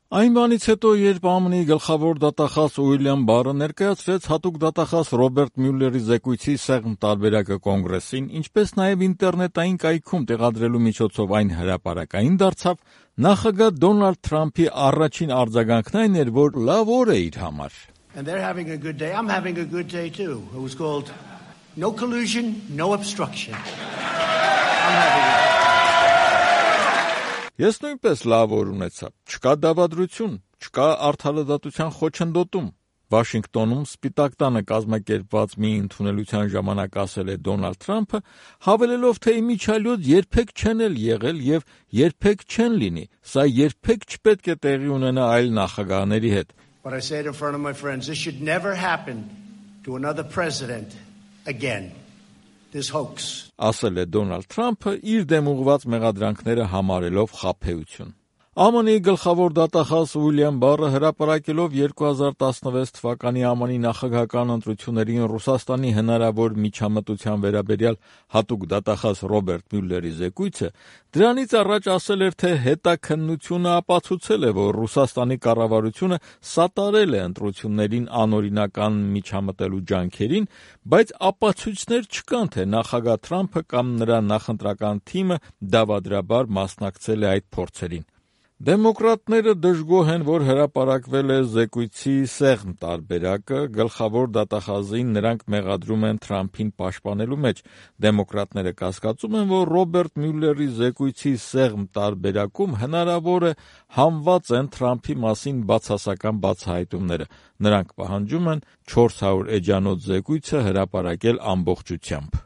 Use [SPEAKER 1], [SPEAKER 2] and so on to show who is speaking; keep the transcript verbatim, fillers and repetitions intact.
[SPEAKER 1] Այն բանից հետո, երբ ԱՄՆ-ի գլխավոր դատախազ Ուիլյամ Բարը ներկայացրեց հատուկ դատախազ Ռոբերտ Մյուլլերի զեկույցի սեղմ տարբերակը Կոնգրեսին, ինչպես նաև ինտերնետային կայքում տեղադրելու միջոցով այն հրապարակային դարձավ, նախագահ Դոնալդ Թրամփի առաջին արձագանքն այն էր, որ լավ օր է իր համար.
[SPEAKER 2] And they're having a good day. I'm having a good day too. It was called No Collusion, No Obstruction. I'm having a
[SPEAKER 1] Ես նույնպես լավ օր ունեցա, չկա դավադրություն, չկա արդարադատության խոչընդոտում։ Վաշինգտոնում Սպիտակ տանը կազմակերպված մի ընդունելության ժամանակ ասել է Դոնալդ Թրամփը, հավելելով, թե իմիջիայլոց երբեք չեն էլ եղել եւ երբեք չեն լինի, սա երբեք չպետք է տեղի ունենա այլ նախագահների հետ։
[SPEAKER 2] But I said in front of my friends, this should never happen to another president again. This hoax.
[SPEAKER 1] Ասել է Դոնալդ Թրամփը իր դեմ ուղղված մեղադրանքները համարելով խաբեություն։ ԱՄՆ-ի գլխավոր դատախազ Ուիլյամ Բարը հրապարակելով երկու հազար տասնվեց թվականի ԱՄՆ-ի նախագահական ընտրություններին Ռուսաստանի հնարավոր միջամտության վերաբերյալ հատուկ դատախազ Ռոբերտ Մյուլլերի զեկույցը, դրանից առաջ ասել էր, թե հետաքննությունը ապացուցել է, որ Ռուսաստանի կառավարությունը սատարել է ընտրություններին անօրինական միջամտելու ջանքերին, բայց ապացույցներ չկան, թե նախագահ Թրամփը կամ նրա նախընտրական թիմը դավադրաբար մասնակցել է այդ փորձերին։ Դեմոկրատները դժգոհ են, որ հրապարակվել է զեկույցի սեղմ տարբերակը, գլխավոր դատախազին նրանք մեղադրում են Թրամփին պաշտպանելու մեջ։ Դեմոկրատները կասկածում են, որ Ռոբերտ Մյուլլերի զեկույցի սեղմ տարբերակում հնարավոր է համված են Թրամփի մասին բացասական բացահայտումները։ Նրանք պահանջում են չորս հարյուր էջանոց զեկույցը հրապարակել ամբողջությամբ։